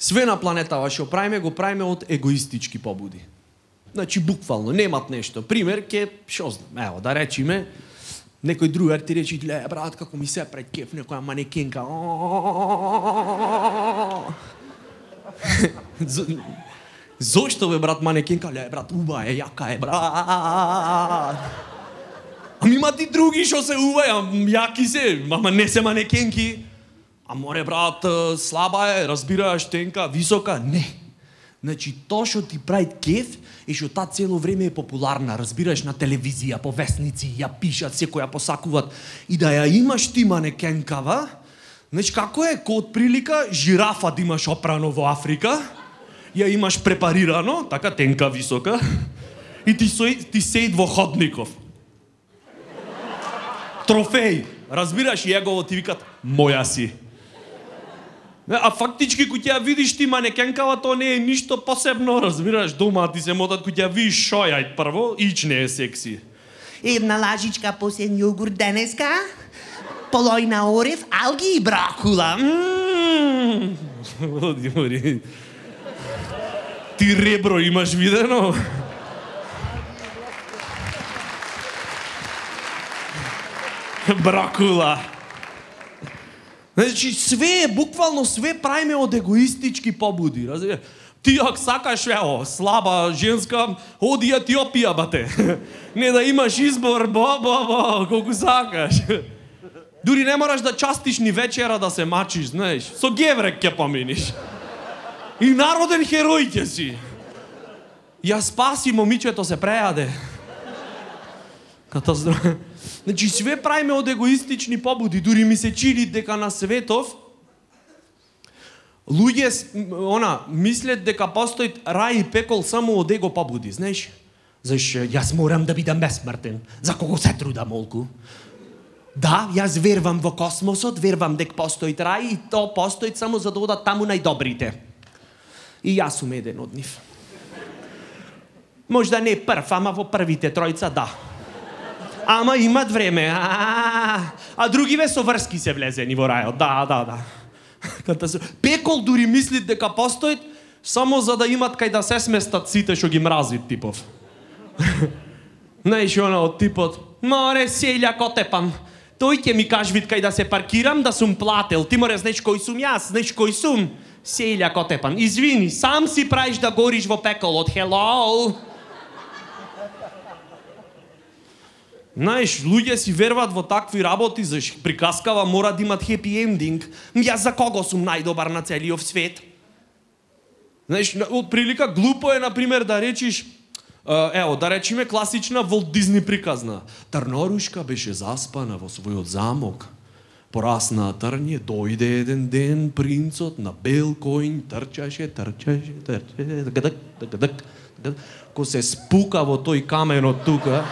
Све на планетава што правиме, го правиме од егоистички побуди. Значи, буквално, немат нешто. Пример, шо знам, ево, да речиме, некој другар ти речи, ле, брат, како ми се пред кеф, некоја манекенка. Зошто, бе, брат, манекенка? Ле, брат, уба е, јака е, брат. Ами има ти други што се уваја, јаки се, ама не се манекенки. А море, брат, слаба е, разбираш, тенка, висока. Не. Значи, тоа што ти прави кеф е што таа цело време е популарна, разбираш, на телевизија, по весници, ја пишат, секој ја посакуваат. И да ја имаш ти манекенкава, значи, како е, ко од прилика, жирафа да имаш опрано во Африка, ја имаш препарирано, така тенка, висока, и ти сеид во ходников. Трофеј, разбираш, и егово ти викат, моја си. А фактички, кој ќе ја видиш ти манекенкава, тоа не е ништо посебно, разбираш, дома ти се мотат, кој ќе ја видиш шојајт прво, ич не е секси. Една лажичка посен јогурт денеска, полојна орев, алги и бракула. Оди. Ти ребро имаш видено? Бракула. Значи, све, буквално све правиме од егоистички побуди, разбираш? Ти ако сакаш, ево, слаба женска, оди Етиопија, бате. Не да имаш избор, колку сакаш. Дури не мораш да частиш ни вечера да се мачиш, знаеш. Со геврек ќе поминиш. И народен херој ќе си. Ја спаси, момичето се прејаде. Катастрофа. Значи, све правиме од егоистични побуди. Дури ми се чини дека на светов луѓе мислят дека постои рај и пекол само од его побуди, знаеш? Зашто јас морам да бидам бесмртен. За кого се трудам молку? Да, јас вервам во космосот, вервам дека постои рај и то постои само за да одат таму најдобрите. И јас сум еден од нив. Можда не прв, ама во првите тројца да. Ама имат време. А другиве со врски се влезени во рајот. Да. Пекол дури мислит дека постоит само за да имат кај да се сместат сите што ги мразит типов. Знаеш, од типот, море, селја котепам. Тој ќе ми кажвит кај да се паркирам, да сум плател. Ти море, знаеш кој сум јас, знаеш кој сум? Селја котепам. Извини, сам си правиш да гориш во пеколот. Hello! Знаеш, луѓе си верват во такви работи, зашто приказкава мора да имат хепи ендинг. Јас за кого сум најдобар на целиот свет? Знаеш, од прилика глупо е, например, да речиш, ево, да речиме класична Волт Дизни приказна. Трнорушка беше заспана во својот замок. Порасна трње, дојде еден ден принцот на бел коњ, трчаше, ко се спука во тој каменот тука,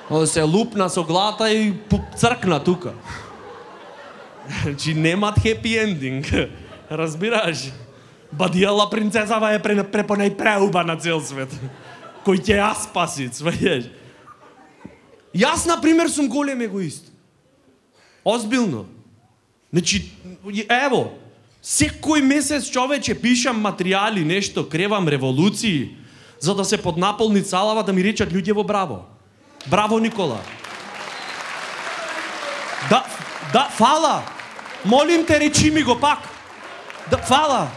се лупна со глата и цркна тука. Значи немат хепи ендинг. Разбираш? Бадијала принцезава е препонај преуба на цел свет. Кој ќе ја спаси, сваѓаш? Јас, например, сум голем егоист. Озбилно. Значи, ево, секој месец, човече, пишам материјали, нешто, кревам револуции, за да се поднаполни цалава, да ми речат луѓе во браво. Браво, Никола. Да, фала. Молим те, речи ми го пак. Да, фала.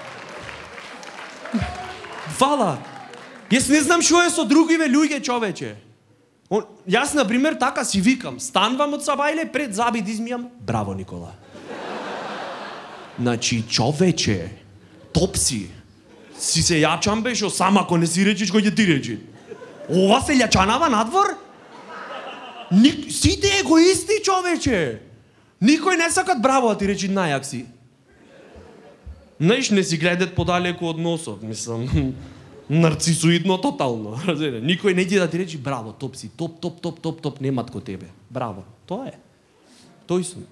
Јас не знам што е со другиве луѓе, човече. Јас, например, така си викам. Станвам од сабајле, пред заби да измијам. Браво, Никола. Значи, човече, топ си. Си се јачам бешо, сам ако не си речиш, кој ќе ти речи. Ова се јачанава надвор? Сите егоисти, човече. Никој не сакат браво, а ти речи најак си. Знаеш, не си гледат подалеку од носот, мислам. Нарцисоидно тотално. Никој не иде да ти речи браво, топ си, топ, немат ко тебе. Браво. Тоа е. Тој сум.